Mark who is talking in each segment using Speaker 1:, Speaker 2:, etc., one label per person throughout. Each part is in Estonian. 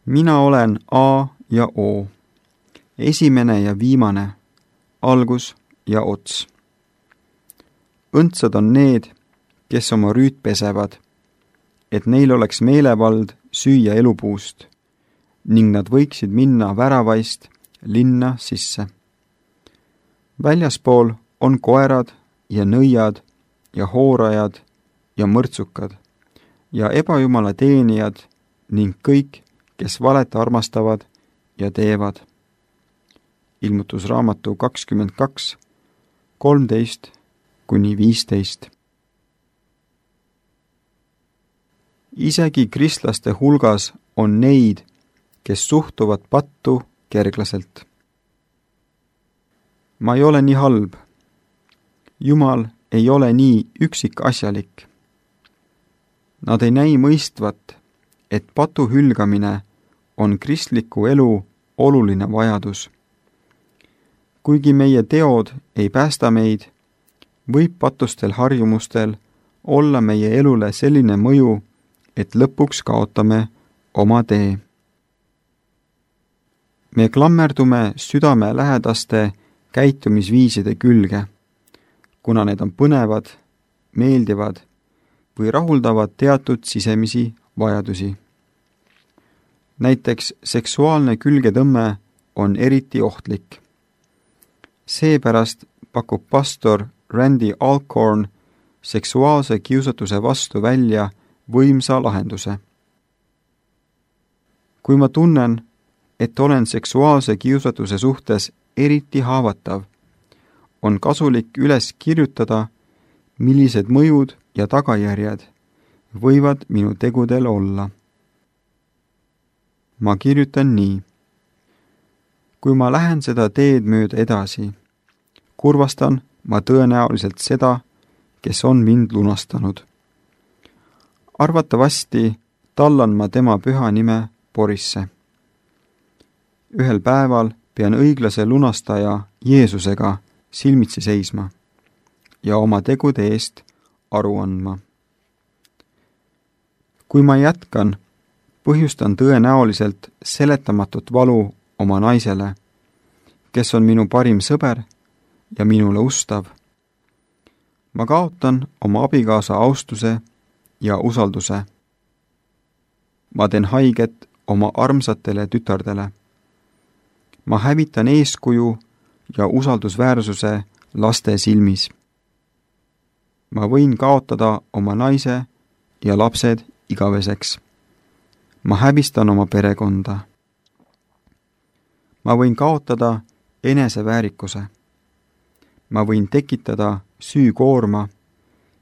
Speaker 1: Mina olen A ja O, esimene ja viimane, algus ja ots. Õndsad on need, kes oma rüüt pesevad, et neil oleks meelevald süüa elupuust ning nad võiksid minna väravaist linna sisse. Väljaspool on koerad ja nõiad ja hoorajad ja mõrtsukad ja ebajumala teenijad ning kõik, kes valet armastavad ja teevad. Ilmutusraamatu 22, 13–15. Isegi kristlaste hulgas on neid, kes suhtuvad pattu kerglaselt. Ma ei ole nii halb. Jumal ei ole nii üksikasjalik. Nad ei näi mõistvat, et patu hülgamine on kristliku elu oluline vajadus. Kuigi meie teod ei päästa meid, võib patustel harjumustel olla meie elule selline mõju, et lõpuks kaotame oma tee. Me klammerdume südame lähedaste käitumisviiside külge, kuna need on põnevad, meeldivad või rahuldavad teatud sisemisi vajadusi. Näiteks seksuaalne külgetõmme on eriti ohtlik. Seepärast pakub pastor Randy Alcorn seksuaalse kiusatuse vastu välja võimsa lahenduse. Kui ma tunnen, et olen seksuaalse kiusatuse suhtes eriti haavatav, on kasulik üles kirjutada, millised mõjud ja tagajärjed võivad minu tegudel olla. Ma kirjutan nii. Kui ma lähen seda teed mööda edasi, kurvastan ma tõenäoliselt seda, kes on mind lunastanud. Arvatavasti tallan ma tema püha nime porisse. Ühel päeval pean õiglase lunastaja Jeesusega silmitsi seisma ja oma tegude eest aru andma. Kui ma jätkan, põhjustan tõenäoliselt seletamatut valu oma naisele, kes on minu parim sõber ja minule ustav. Ma kaotan oma abikaasa austuse ja usalduse. Ma teen haiget oma armsatele tütardele. Ma hävitan eeskuju ja usaldusväärsuse laste silmis. Ma võin kaotada oma naise ja lapsed igaveseks. Ma häbistan oma perekonda. Ma võin kaotada eneseväärikuse. Ma võin tekitada süükoorma,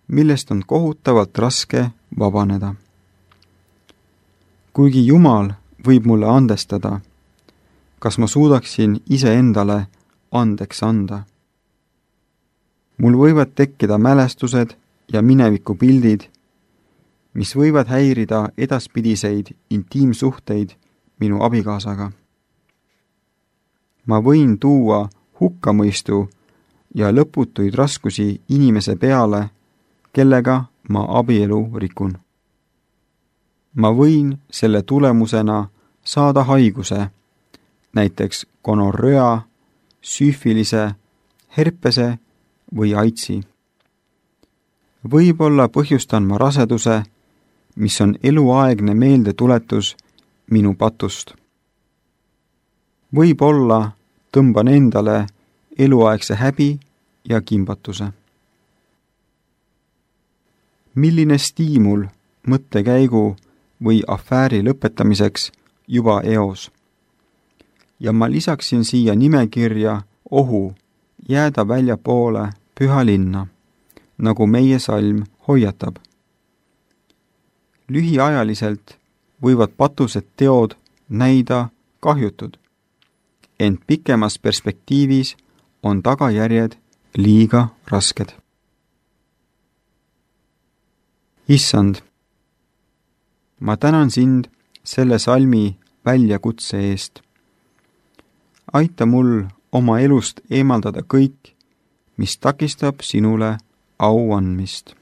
Speaker 1: millest on kohutavalt raske vabaneda. Kuigi Jumal võib mulle andestada, kas ma suudaksin iseendale andeks anda? Mul võivad tekkida mälestused ja minevikupildid, mis võivad häirida edaspidiseid intiimsuhteid minu abikaasaga. Ma võin tuua hukkamõistu ja lõputuid raskusi inimese peale, kellega ma abielu rikun. Ma võin selle tulemusena saada haiguse, näiteks gonorröa, süüfilise, herpese või aidsi. Võib-olla põhjustan ma raseduse, mis on eluaegne meeldetuletus minu patust. Võib-olla tõmban endale eluaegse häbi ja kimbatuse. Milline stiimul mõttekäigu või afääri lõpetamiseks juba eos? Ja ma lisaksin siia nimekirja ohu jääda väljapoole püha linna, nagu meie salm hoiatab. Lühiajaliselt võivad patused teod näida kahjutud, ent pikemas perspektiivis on tagajärjed liiga rasked. Issand, ma tänan sind selle salmi väljakutse eest. Aita mul oma elust eemaldada kõik, mis takistab sinule au andmist.